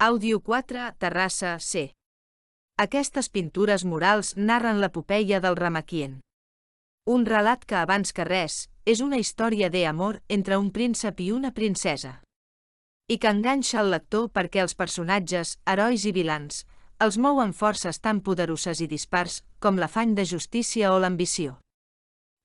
Àudio 4, Terrassa, C. Aquestes pintures murals narren l'epopeia del Ramaquien. Un relat que abans que res, és una història d'amor entre un príncep i una princesa. I que enganxa el lector perquè els personatges, herois i vilans, els mouen forces tan poderoses i dispars com l'afany de justícia o l'ambició.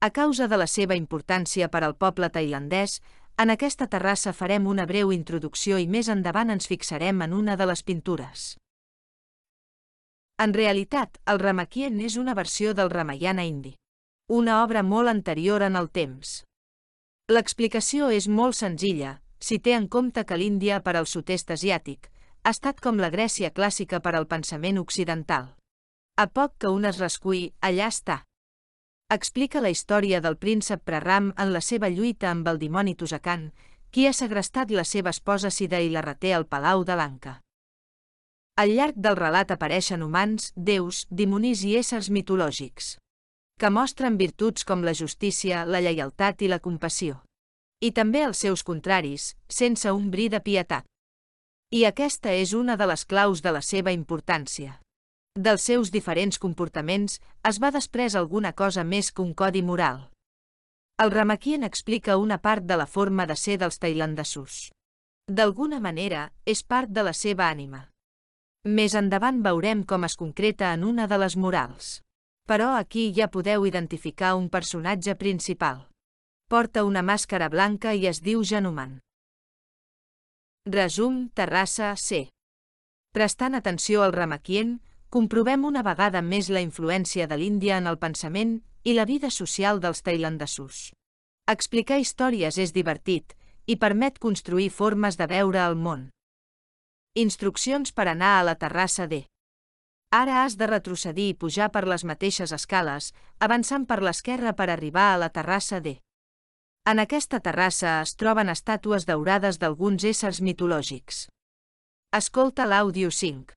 A causa de la seva importància per al poble tailandès, en aquesta terrassa farem una breu introducció i més endavant ens fixarem en una de les pintures. En realitat, el Ramaquien és una versió del Ramayana indi, una obra molt anterior en el temps. L'explicació és molt senzilla, si té en compte que l'Índia per al sud-est asiàtic ha estat com la Grècia clàssica per al pensament occidental. A poc que un es rascuï, allà està. Explica la història del príncep Praram en la seva lluita amb el dimoni Tusakan, qui ha segrestat la seva esposa Sida i la reté al palau de Lanka. Al llarg del relat apareixen humans, déus, dimonis i éssers mitològics, que mostren virtuts com la justícia, la lleialtat i la compassió. I també els seus contraris, sense un bri de pietat. I aquesta és una de les claus de la seva importància. Dels seus diferents comportaments es va després alguna cosa més que un codi moral. El Ramaquien explica una part de la forma de ser dels tailandesos. D'alguna manera, és part de la seva ànima. Més endavant veurem com es concreta en una de les morals. Però aquí ja podeu identificar un personatge principal. Porta una màscara blanca i es diu Januman. Resum, Terrassa, C. Prestant atenció al Ramaquien, comprovem una vegada més la influència de l'Índia en el pensament i la vida social dels tailandesos. Explicar històries és divertit i permet construir formes de veure el món. Instruccions per anar a la terrassa D. Ara has de retrocedir i pujar per les mateixes escales, avançant per l'esquerra per arribar a la terrassa D. En aquesta terrassa es troben estàtues daurades d'alguns éssers mitològics. Escolta l'àudio 5.